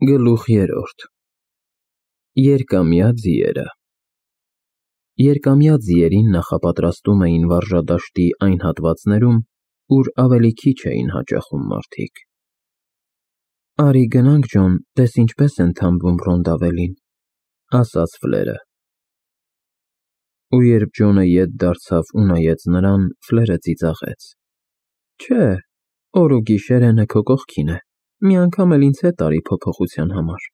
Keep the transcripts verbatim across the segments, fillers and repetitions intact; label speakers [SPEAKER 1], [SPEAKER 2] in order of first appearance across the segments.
[SPEAKER 1] Գլուխ երրորդ Երկամյա ձիերը Երկամյա ձիերին նախապատրաստում էին վարժադաշտի այն հատվածներում, ուր ավելի քիչ էին հաճախում մարդիկ։ «Արի գնանք, Ջոն, տես ինչպես են թամբում Ռոնդավելին», ասաց Ֆլերը։ Ու երբ Ջոնը ետ դարձավ ու նայեց նրան, Ֆլերը ծիծաղեց. «Չէ, օր ու գիշեր էնը քո կողքին է, մի անգամ էլ ինձ հետ արի փոփոխության համար»։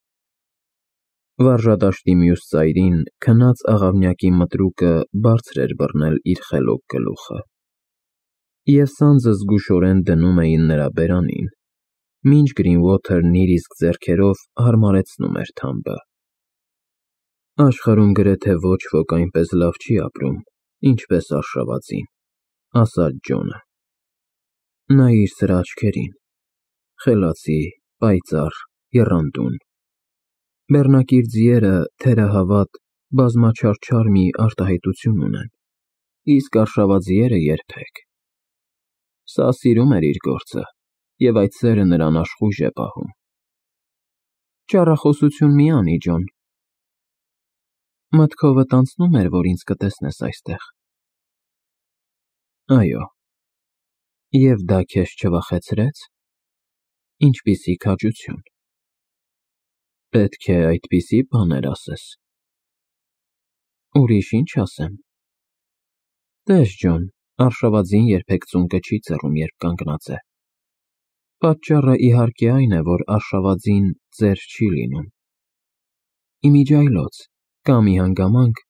[SPEAKER 1] Վարժադաշտի մյուս ծայրին քնած աղավնյակի մտրուկը բարձր էր բռնել իր խելոք գլուխը, և սանձը զգուշորեն դնում էին նրա բերանին, մինչ Գրինուոթերն իր իսկ ձեռքերով հարմարեցնում էր թամբը։ «Աշխարհում գրեթե ոչ ոք այնպես լավ չի ապրում, ինչպես արշավածին», ասաց Ջոնը։ «Նայիր սրա աչքերին, խելացի, պայծառ, եռանդուն։ Բեռնակիր ձիերը, թերահավատ, բազմաչարչար մի արտահայտություն ունեն, իսկ արշավաձիերը՝ երբեք։ Սա սիրում էր իր գործը, և այդ սերը նրան աշխույժ է պահում»։ «Ճառախոսություն մի անի, Ջոն։ Մտքովդ անցնո՞ւմ էր, որ ինձ կտեսնես այստեղ»։ «Այո»։ «Եվ դա քեզ չվախեցրե՞ց։ Ինչպիսի քաջություն։ Պետք է այդպիսի բաներ ասես»։ «Ուրիշ ինչ ասեմ։ Տես, Ջոն, արշավածին երբեք ծունկը չի ծռում, երբ կանգնած է։ Պատճառը, իհարկե, այն է, որ արշավածին ծեր չի լինում։ Իմիջիայլոց կա մի հանգամանք,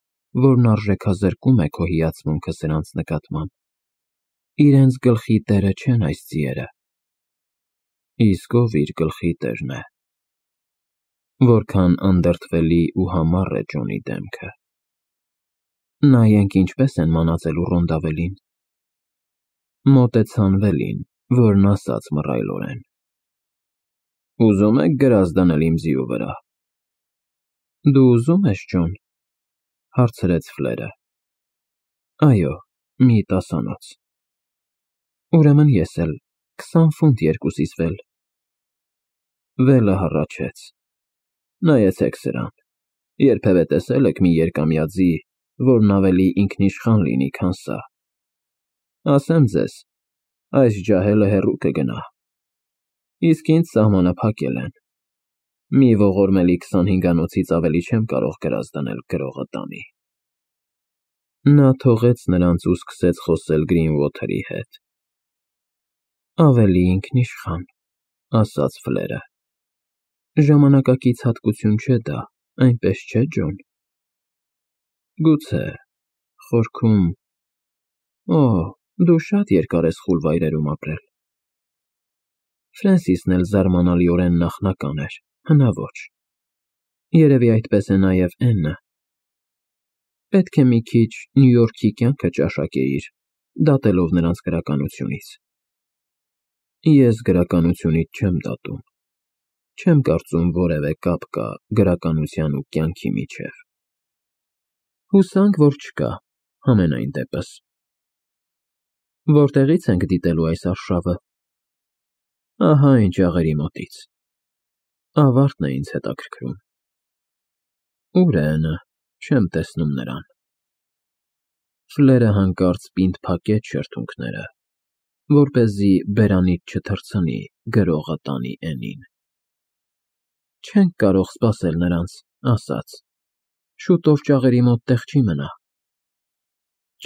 [SPEAKER 1] որն արժեքազրկում է քո հիացմունքը սրանց նկատմամբ։ Իրենց գլխի տերը չեն այս ձիերը»։ «Իսկ ով իր գլխի տերն է»։ Որքան անդրդվելի ու համառ է Ջոնի դեմքը։ «Նայենք ինչպես են մանածելու Ռոնդավելին»։ Մոտեցան Վելին, որն ասաց մռայլորեն. «Ուզում եք գրազ դնել իմ ձիու վրա»։ «Դու ուզում ես, Ջոն», հարցրեց Ֆլերը։ «Այո, մի տասանոց»։ «Ուրեմն ես էլ, քսան ֆունտ երկուսիս, Վել»։ Վելը հառաչեց. «Նայեցեք սրան, երբևէ տեսե՞լ եք մի երկամյա ձի, որն ավելի ինքնիշխան լինի, քան սա։ Ասեմ ձեզ, այս ջահելը հեռու կգնա։ Իսկ ինձ սահմանը փակել են։ Մի ողորմելի քսանհինգանոցից ավելի չեմ կարող գրազ դնել գրողը տանի»։ Նա թողեց նրանց ու սկսեց խոսել Գրինուոթերի հետ։ «Ավելի ինքնիշխան», ասաց Ֆլերը։ «Ժամանակակից հատկություն չէ դա, այնպես չէ՞, Ջոն։ Գուցե, խորքում… Օ, դու շատ երկար ես խուլ վայրերում ապրել»։ Ֆրենսիսն էլ զարմանալիորեն նախնական էր, հնաոճ։ Երևի այդպես է նաև Էննը։ Պետք է մի քիչ Նյու Յորքի կյանքը ճաշակեիր, դատելով նրանց գրականությունից։ Ես գրականությունից չեմ դատում։ Չեմ կարծում որևէ կապ կա գրականության ու կյանքի միջև։ Հուսանք, որ չկա, համենայն դեպս։ Որտեղի՞ց ենք դիտելու այս արշավը։ Ահա այն ջաղերի մոտից։ Ավարտն է ինձ հետաքրքրում։ Ո՞ւր է Էննը, չեմ տեսնում նրան։ Ֆլերը հանկարծ պինդ փակեց շրթունքները, որպեսզի բերանից չթռցնի գրողը տանի Էննին։ Չենք կարող սպասել նրանց, ասաց. Շուտով ճաղերի մոտ տեղ չի մնա։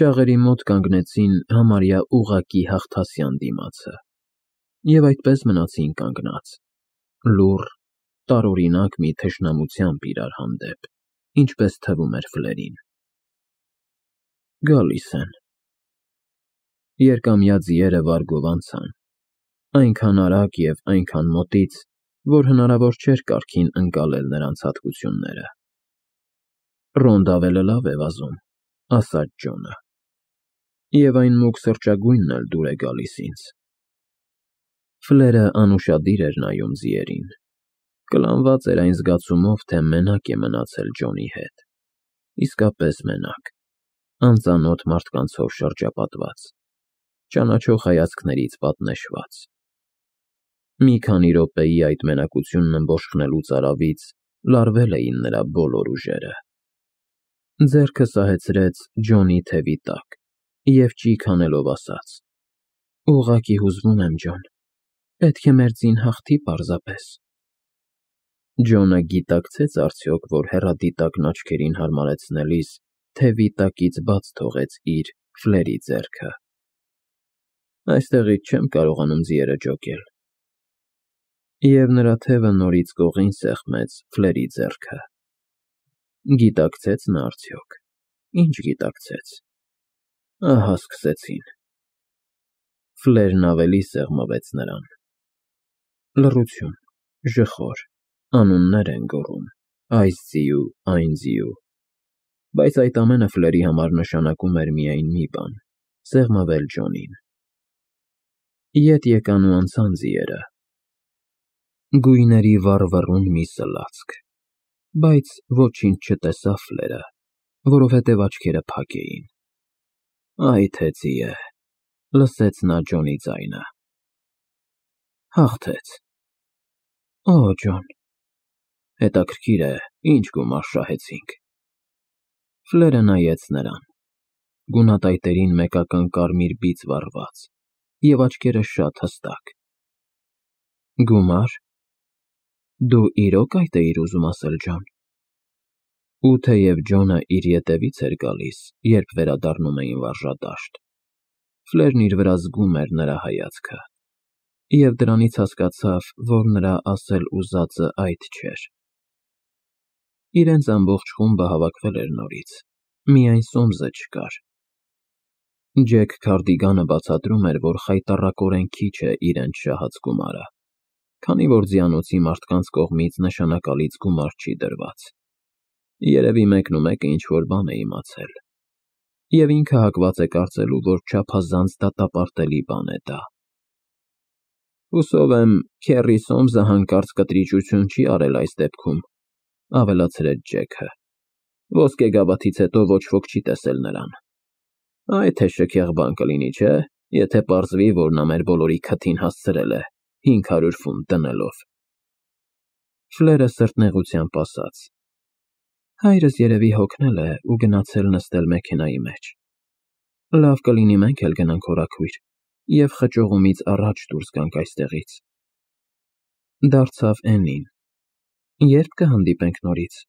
[SPEAKER 1] Ճաղերի մոտ կանգնեցին համարյա ուղղակի հաղթասյան դիմացը, և այդպես մնացին կանգնած, լուռ, տարօրինակ մի թշնամությամբ իրար հանդեպ, ինչպես թվում էր Ֆլերին։ Գալիս են։ Երկամյա ձիերը վարգով անցան, այնքան արագ և այնքան մոտից, որ հնարավոր չէր կարգին ընկալել նրանց հատկությունները։ Ռոնդավելը լավ է վազում, ասաց Ջոնը, և այն մուգ սրճագույնն էլ դուր է գալիս ինձ։ Ֆլերը անուշադիր էր նայում ձիերին, կլանված էր այն զգացումով, թե մենակ է մնացել Ջոնի հետ, իսկապես մենակ, անծանոթ մարդկանցով շրջապատված, ճանաչող հայացքներից պատնեշված։ Մի քանի րոպեի այդ մենակությունն ըմբոշխնելուց արավից լարվել էին նրա բոլոր ուժերը։ Ձեռքը սահեցրեց Ջոնի թևի տակ և ճիգ անելով ասաց. «Ուղղակի հուզվում եմ, Ջոն, պետք է մեր ձին հաղթի պարզապես»։ Ջոնը գիտակցեց արդյոք, որ հեռադիտակն աչքերին հարմարեցնելիս թևի տակից բաց թողեց իր Ֆլերի ձեռքը։ «Այստեղից չեմ կարողանում ձիերը ջոկել»։ Եվ նրա թևը նորից կողին սեղմեց Ֆլերի ձեռքը։ Գիտակցեց նա արդյոք, ինչ գիտակցեց։ Ահա սկսեցին։ Ֆլերն ավելի սեղմվեց նրան։ Լռություն, ժխոր, անուններ են գոռում, այս ձիու, այն ձիու, բայց այդ ամենը Ֆլերի համար նշանակում էր միայն մի բան՝ սեղմվել Ջոնին։ Ետ եկան ու անցան ձիերը։ Գույների վառվռուն մի սլացք, բայց ոչինչ չտեսավ Ֆլերը, որովհետև աչքերը փակ էին։ Այ թե ձի է, լսեց նա Ջոնի ձայնը։ Հաղթեց։ Օ, Ջոն, հետաքրքիր է, ինչ գումար շահեցինք։ Ֆլերը նայեց նրան, գունատայտերին մեկական կարմիր բիծ վառված և աչքերը շատ հստակ։ Գումար։ Դու իրոք այդ էիր ուզում ասել, Ջոն։ Ու թեև Ջոնը իր ետևից էր գալիս, երբ վերադառնում էին վարժադաշտ, Ֆլերն իր վրա զգում էր նրա հայացքը, և դրանից հասկացավ, որ նրա ասել ուզածը այդ չէր։ Իրենց ամբողջ խումբը հավաքվել էր նորից, միայն Սոմսը չկար։ Ջեք Քարդիգանը բացատրում էր, որ խայտառակորեն քիչ է իրենց շահած գումարը, քանի որ ձիանոցի մարդկանց կողմից նշանակալից գումար չի դրված։ Երևի մեկնումեկը ինչ-որ բան է իմացել, և ինքը հակված է կարծելու, որ չափազանց դատապարտելի բան է դա։ Հուսով եմ, քեռի Սոմսը հանկարծ կտրիճություն չի արել այս դեպքում, ավելացրեց Ջեքը։ Ոսկեգավաթից հետո ոչ ոք չի տեսել նրան։ Այ թե շքեղ բան կլինի, չէ՞, եթե պարզվի, որ նա մեր բոլորի քթին հասցրել է հինգ հարյուր ֆունտ դնելով։ Ֆլերը սրտնեղությամբ ասաց. Հայրս երևի հոգնել է ու գնացել նստել մեքենայի մեջ։ Լավ կլինի մենք էլ գնանք հորաքույր և խճողումից առաջ դուրս գանք այստեղից։ Դարձավ Էննին. Երբ կհանդիպենք նորից։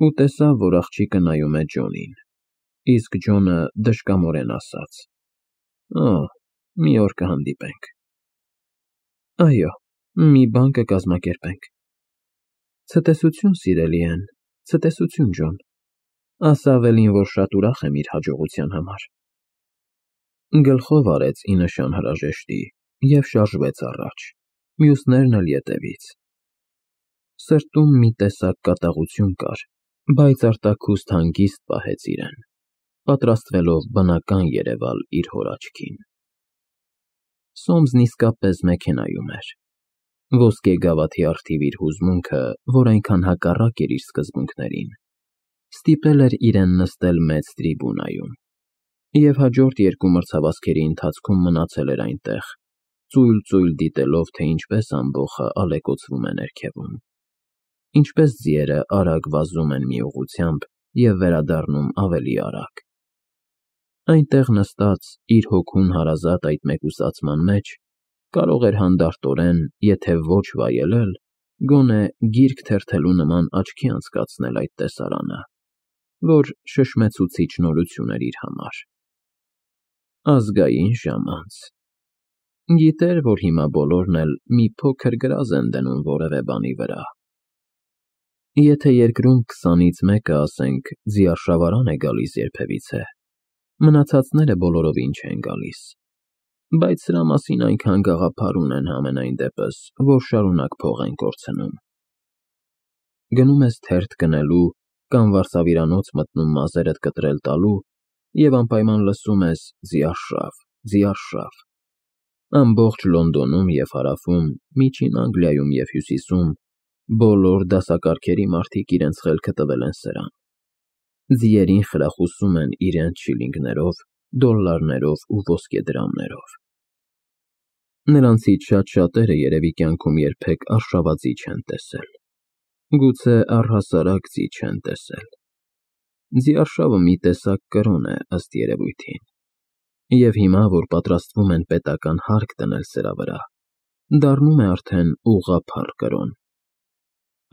[SPEAKER 1] Ու տեսավ, որ աղջիկը նայում է Ջոնին, իսկ Ջոնը դժկամորեն ասաց. Օ, մի օր կհանդիպենք։ Այո, մի բան կկազմակերպենք։ Ցտեսություն, սիրելի Էն, ցտեսություն, Ջոն, ասա ավելին, որ շատ ուրախ եմ իր հաջողության համար։ Գլխով արեց ի նշան հրաժեշտի և շարժվեց առաջ, մյուսներն էլ ետևից։ Սրտում մի տեսակ կատաղություն կար, բայց արտաքուստ հանգիստ պահեց իրեն, պատրաստվելով բնական երևալ իր հոր աչքին։ Սոմսն իսկապես մեքենայում էր։ Ոսկեգավաթի առթիվ իր հուզմունքը, որ այնքան հակառակ էր իր սկզբունքներին, ստիպել էր իրեն նստել մեծ տրիբունայում, և հաջորդ երկու մրցավազքերի ընթացքում մնացել էր այնտեղ, ծույլ-ծույլ դիտելով, թե ինչպես ամբոխը ալեկոծվում է ներքևում, ինչպես ձիերը արագ վազում են մի ուղղությամբ և վերադառնում ավելի արագ։ Այնտեղ նստած, իր հոգուն հարազատ այդ մեկուսացման մեջ, կարող էր հանդարտորեն, եթե ոչ վայելել, գոնե գիրք թերթելու նման աչքի անցկացնել այդ տեսարանը, որ շշմեցուցիչ նորություն էր իր համար։ Ազգային ժամ անց։ Գիտեր, որ հիմա բոլորն էլ մի փոքր գրազ են դնում որևէ բանի վրա։ Եթե երկրում քսանից մեկը, ասենք, ձիարշավարան է գալիս երբևիցե, մնացածները բոլորովին չեն գալիս, բայց սրա մասին այնքան գաղափար ունեն համենայն դեպս, որ շարունակ փող են կորցնում։ Գնում ես թերթ գնելու կամ վարսավիրանոց մտնում մազերդ կտրել տալու և անպայման լսում ես ձիարշավ, ձիարշավ։ Ամբողջ Լոնդոնում և Հարավում, Միջին Անգլիայում և Հյուսիսում բոլոր դասակարգերի մարդիկ իրենց խելքը տվել են սրան։ Ձիերին խրախուսում են իրենց շիլինգներով, դոլլարներով ու ոսկեդրամներով։ Նրանցից շատ շատերը երևի կյանքում երբեք արշավածի չեն տեսել, գուցե առհասարակ ձի չեն տեսել։ Ձիարշավը մի տեսակ կրոն է, ըստ երևույթին, և հիմա, որ պատրաստվում են պետական հարկ դնել սրա վրա, դառնում է արդեն ուղղափառ կրոն։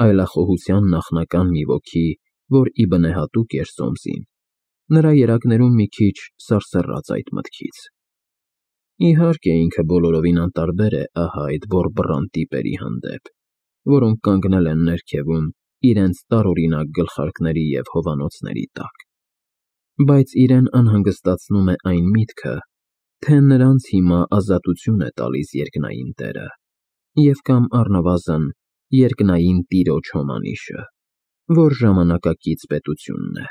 [SPEAKER 1] Այլախոհության նախնական մի ոգի, որ ի բնե հատուկ էր Սոմսին, նրա երակներում մի քիչ սարսռաց այդ մտքից։ Իհարկե, ինքը բոլորովին անտարբեր է ահա այդ բոռբռան տիպերի հանդեպ, որոնք կանգնել են ներքևում իրենց տարօրինակ գլխարկների և հովանոցների տակ, բայց իրեն անհանգստացնում է այն միտքը, թե նրանց հիմա ազատություն է տալիս երկնային տերը և կամ առնվազն երկնային տիրոջ հոմանիշը, որ ժամանակակից պետությունն է։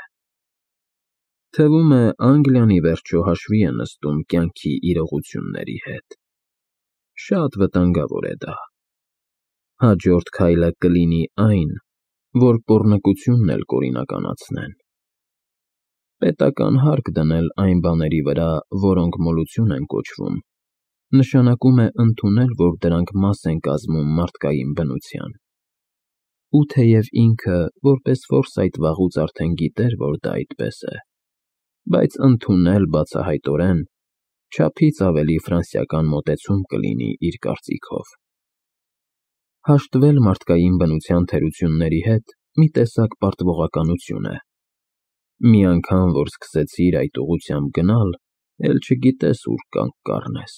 [SPEAKER 1] Թվում է Անգլիան ի վերջո հաշվի է նստում կյանքի իրողությունների հետ։ Շատ վտանգավոր է դա։ Հաջորդ քայլը կլինի այն, որ պոռնկությունն էլ կօրինականացնեն։ Պետական հարկ դնել այն բաների վրա, որոնք մոլություն են կոչվում, նշանակում է ընդունել, որ դրանք մաս են կազմում մարդկային բնության։ Ու թեև ինքը, որպես Ֆորսայթ վաղուց արդեն գիտեր, որ դա այդպես է, բայց ընդունել բացահայտորեն չափից ավելի ֆրանսիական մոտեցում կլինի իր կարծիքով։ Հաշտվել մարդկային բնության թերությունների հետ մի տեսակ պարտվողականություն է։ Մի անգամ, որ սկսեցիր այդ ուղղությամբ գնալ, էլ չգիտես ուր կանգ կառնես։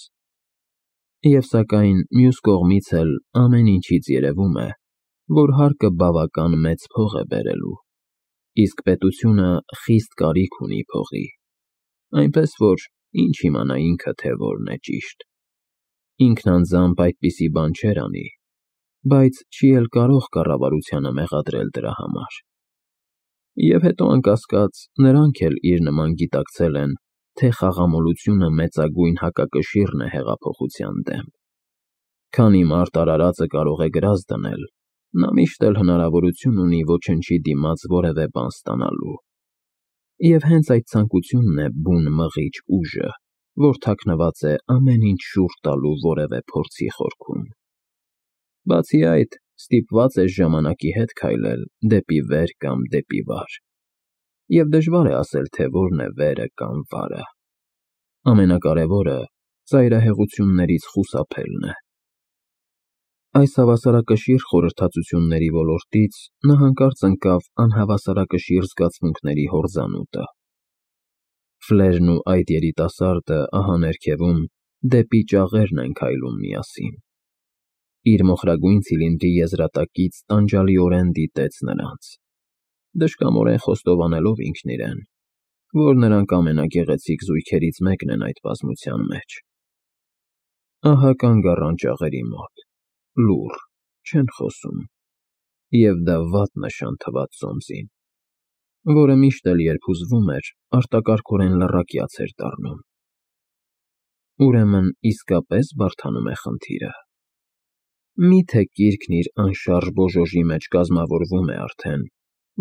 [SPEAKER 1] Եվ սակայն մյուս կողմից էլ ամեն ինչից երևում է, որ հարկը բավական մեծ փող է բերելու, իսկ պետությունը խիստ կարիք ունի փողի, այնպես որ ինչ իմանա ինքը, թե որն է ճիշտ։ Ինքն անձամբ այդպիսի բան չէր անի, բայց չի էլ կարող կառավարությանը մեղադրել դրա համար։ Եվ հետո, անկասկած, նրանք էլ իր նման գիտակցել են, թե խաղամոլությունը մեծագույն հակակշիռն է հեղափոխության դեմ։ Քանի մարդ արարածը կարող է գրազ դնել, նա միշտ էլ հնարավորություն ունի ոչնչի դիմաց որևէ բան ստանալու։ Եվ հենց այդ ցանկությունն է բուն մղիչ ուժը, որ թաքնված է ամեն ինչ շուռ տալու որևէ փորձի խորքում։ Բացի այդ, ստիպված ես ժամանակի հետ քայլել դեպի վեր կամ դեպի վար։ Եվ դժվար է ասել, թե որն է վերը կամ վարը։ Ամենակարևորը ծայրահեղություններից խուսափելն է։ Այս հավասարակշիռ խորհրդածությունների ոլորտից նա հանկարծ ընկավ անհավասարակշիռ զգացմունքների հորձանուտը։ Ֆլերն ու այդ երիտասարդը ահա ներքևում դեպի ճաղերն են քայլում միասին։ Իր մոխրագույն ցիլինդրի եզրատակից տանջալիորեն դիտեց նրանց, դժկամորեն խոստովանելով ինքն իրեն, որ նրանք ամենագեղեցիկ զույգերից մեկն են այդ բազմության մեջ։ Ահա կանգ առան ճաղերի մոտ, լուռ, չեն խոսում, և դա վատ նշան թվաց Սոմսին, որը միշտ էլ երբ հուզվում էր, արտակարգորեն լռակյաց էր դառնում։ Ուրեմն իսկապես բարդանում է խնդիրը։ Մի՞թե կիրքն իր անշարժ բոժոժի մեջ կազմավորվում է արդեն,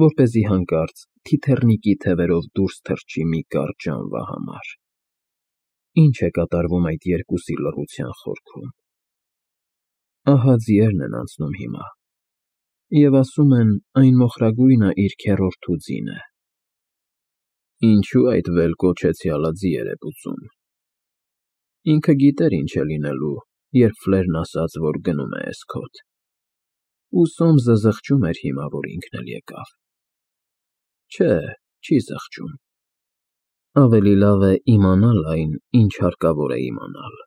[SPEAKER 1] որպեսզի հանկարծ թիթեռնիկի թևերով դուրս թռչի մի կարճ ժամվա համար։ Ինչ է կատարվում այդ երկուսի լռության խորքում։ Ահա ձիերն են անցնում հիմա, և ասում են, այն մոխրագույնը իր քեռորդու ձին է։ Ինչո՞ւ այդ վել կոչեցյալը ձիեր է պուծում։ Ինքը գիտեր ինչ է լինելու, երբ Ֆլերն ասաց, որ գնում է էսքոթ։ Ու Սոմսը զղջում էր հիմա, որ ինքն էլ եկավ։ Չէ, չի զղջում։ Ավելի լավ է իմանալ այն, ինչ հարկավոր է իմանալ։